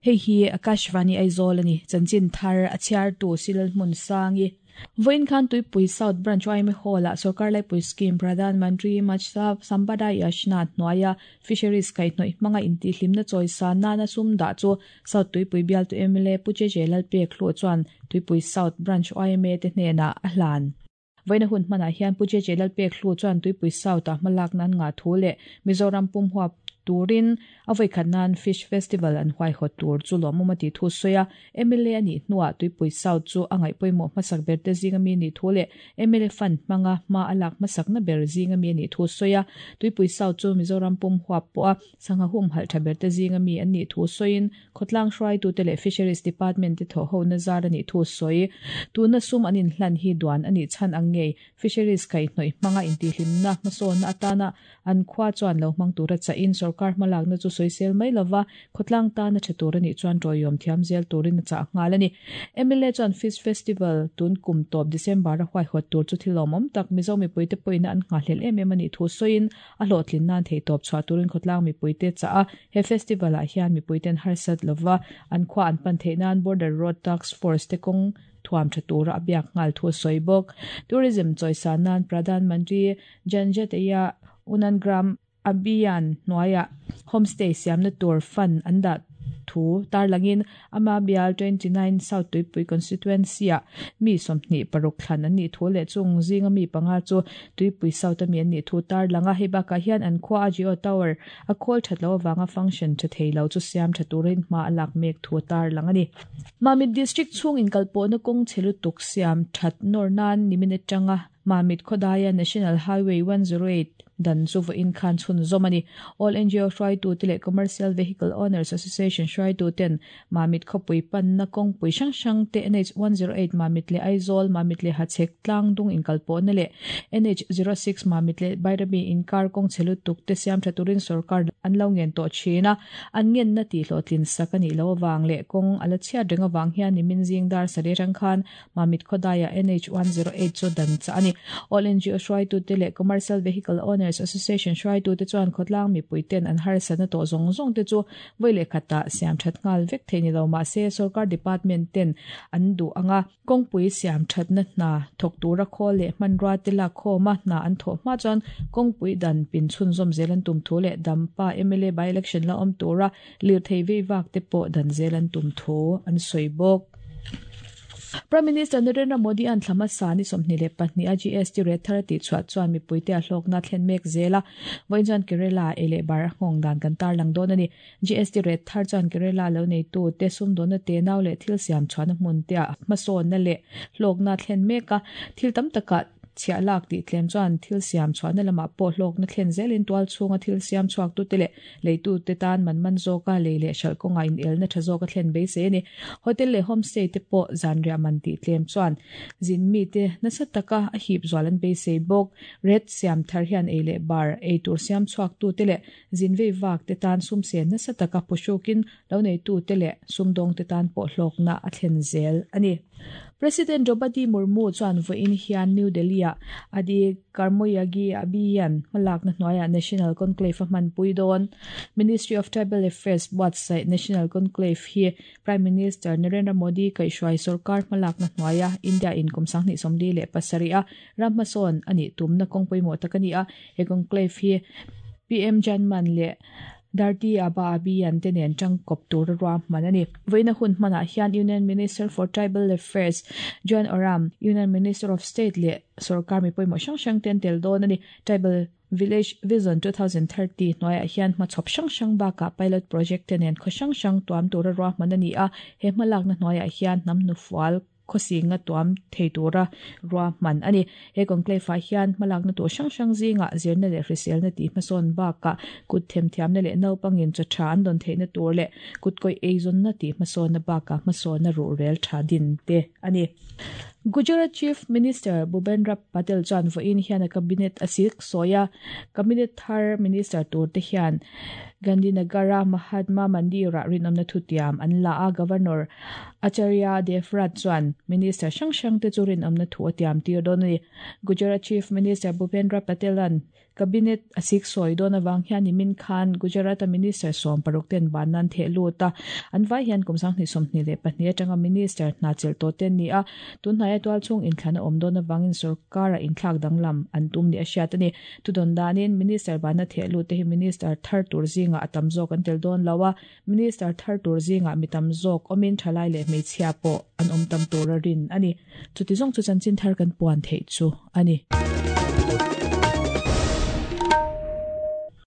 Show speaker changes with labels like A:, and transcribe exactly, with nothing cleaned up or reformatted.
A: Hei hi Akashvani Aizawl ani chanchin thar a chhiar tu Silal Hmun Sangi Voin khan Tuipui South Branch Y M A Hall a Sarkar Laipui Scheme Pradhan Mantri Matsya Sampada Yojana hnuaia Fisheries kaihhnawih hmanga intihhlimna chawisa nana sum dah chu South Tuipui bial tu M L A Pu Che Che Lalpek hluah chuan Tuipui South Branch Y M A te hnenah a hlan. Voina hun hmanah hian Pu Che Che Lalpek hluah chuan Tuipui South a hmalak nan nga thu leh Mizoram pum huap turin a voikhat nan Fish Festival an huai hot tur chu lawmawm a ti thu sawi a M L A ani hnuah Tuipui South chu a ngaih pawimawh hmasak ber te zinga mi ni thu leh M L A fund hmanga hma a lak hmasak na ber zinga mi ani thu sawi a Tuipui South chu Mizoram pum huap pawh a sangha hum halh tha ber te zinga mi an ni thu sawiin khawtlang hruaitu te leh Fisheries Department te thaw ho na zar ani thu sawi tuna sum an inhlan hi duan ani chan ang ngei Fisheries kaihhnawih hmanga intihhlimna hmasawnna atana an khua chuan lo hmang tura chahin sarkar hmalak na chu sawisel mai lova khawtlang tana tha tur ani chuan tawiawm thiam zel turin a chah nghal ani M L A chuan Fish Festival tun kum tawp December a huai hawt tur chu thilawmawm tak Mizo mipui te pawhin an nghahlel em em ani thu sawiin a hlawhtlin nan thei tawp chhuah turin khawtlang mipui te chah a he festival ah hian mipui ten harsat lova an khua an pan theih nan Border Road Task Force te kawng thuam tha tura a biak nghal thu sawi bawk tourism chawisa nan Pradhan Mantri Janjatiya Unan Gram Abhiyan hnuaia homestay siamna tur fund an dah thu tarlangin ama bial twenty-nine South Tuipui constituency a mi sawmhnih paruk thlan an nih thu leh chung zinga mi panga chu Tuipui South ami an nih thu tarlanga hei bakah hian an khua a Geo Tower a khawl that lo awanga function tha thei lo chu siam tha turin hma a lak mek thu tarlang ani Mamit district chung inkalpawhna kawng chhelu tuk siam that nawr nan nimin atanga Mamit Khodaya National Highway one zero eight dan chu vo in khan chhun zawm ani All N G O hruaitu te leh Commercial Vehicle Owners Association hruaitu ten Mamit khawpui panna kawngpui hrang hrang te N H one zero eight Mamit leh Aizawl Mamit leh Hachhek tlang dung inkalpawhna leh N H zero six Mamit leh Bairabi inkar kawng chhelu tuk te siam tha turin sarkar an lo ngen tawh thin a an ngen na tih hlawhtlin sak ani lo awang leh kawng ala chhiat reng awang hian nimin zing dar sari rang khan Mamit Khodaya N H one zero eight chu dan cha ani All N G O hruaitu te leh Commercial Vehicle Owners Association hruaitu te chuan khawtlang mipui ten an harsatna tawh zawng zawng te chu voi leh khata siam that nghal vek thei ni lo mahse sarkar department ten an duh anga kawngpui siam thatna hna thawk tura khawl leh hmanrua te lak khawma hna an thawh hma chuan kawngpui dan pin chhun zawm zel an tum thu leh Dampa M L A by election la awm tura lirthei vei vak te pawh dan zel an tum thu an sawi bawk. Prime Minister Narendra Modi an thlama sani sawmhnih leh pahnih a G S T rate thar ti chhuah chuan mipui te a hlawkna thlen mek zela vawiin chuan Kerala ei leh bar a nghawng dan kan tarlang dawn ani G S T rate thar chuan Kerala lo nei tu te sumdawnna te nau leh thil siam chhuahna hmun te a hmasawnna leh hlawkna thlen mek a thil tam takah chhiah lak tih tlem chuan thil siam chhuahna lamah pawh hlawkna thlen zelin tual chhunga thil siam chhuak tu te leh leitu te tan man man zawka lei leh hralh kawnga in elna tha zawka thlen beisei ani hotel leh homestay te pawh zanriah man tih tlem chuan zin mi te nasa taka a hip zual an beisei bawk red siam thar hian ei leh bar ei tur siam chhuak tu te leh zin vei vak te tan sum sen nasa taka phushukin lo nei tu te leh sumdawng te tan pawh hlawkna a thlen zel ani President Draupadi Murmu chuan vawiin hian New Delhi a Adi Karmoyagi Abhiyan hmalakna hnuaiah National Conclave a hmanpui dawn Ministry of Tribal Affairs buatsaih National Conclave hi Prime Minister Narendra Modi kaihhruai sarkar hmalakna hnuaia India in kum sanghnih sawmli leh pasarih a ram hmasawn ani tumna kawngpawimawh tak ani a he conclave hi P M Janman leh Dharti Aba Abhiyan te nen tangkawp tur a ruah hman ani vawiina hun hmanah hian Union Minister for Tribal Affairs John Oram Union Minister of State leh sarkar mipawimawh hrang hrang ten tel dawn ani Tribal Village Vision twenty thirty hnuaiah hian hmachhawp hrang hrang bakah pilot project te nen khaw hrang hrang tuam tur a ruah hman ani a he hmalakna hnuaiah hian hnam hnufual khawsinga tuam thei tura ruah hman ani he conclave ah hian hmalakna tur hrang hrang zinga zirna leh hriselna tih hmasawn bakah kut themthiamna leh naupangin chaw tha an dawn theihna tur leh kut kawi eizawnna tih hmasawnna bakah hmasawnna ruh rel tha din te ani. Gujarat Chief Minister Bhupendra Patel chuan vawiin hian a cabinet a sik sawia cabinet thar minister tur te hian Gandhinagara Mahatma Mandira rinawmna thutiam an la a Governor Acharya Devvrat chuan Minister hrang hrang te chu rinawmna thu a tiam tir dawn ani. Gujarat Chief Minister Bhupendra Patelan cabinet a sik sawi dawn awang hian nimin khan Gujarat Minister sawm paruk ten banan the lut a an vai hian kum sanghnih sawmhnih leh pahnih atanga Minister hna chelh tawh te ni a tunhnai tual chung inthlana awm dawn awangin sarkara inthlak danglam an tum ni a hriat ani. Tudon danin Minister bana the lut te hi Minister thar tur zinga atam zawk an tel dawn lo a Minister thar tur zinga mitam zawk awmin thalai leh hmeichhia pawh an awm tam tur a rin ani. Chuti zawng chu chanchin thar kan puan theih chu ani.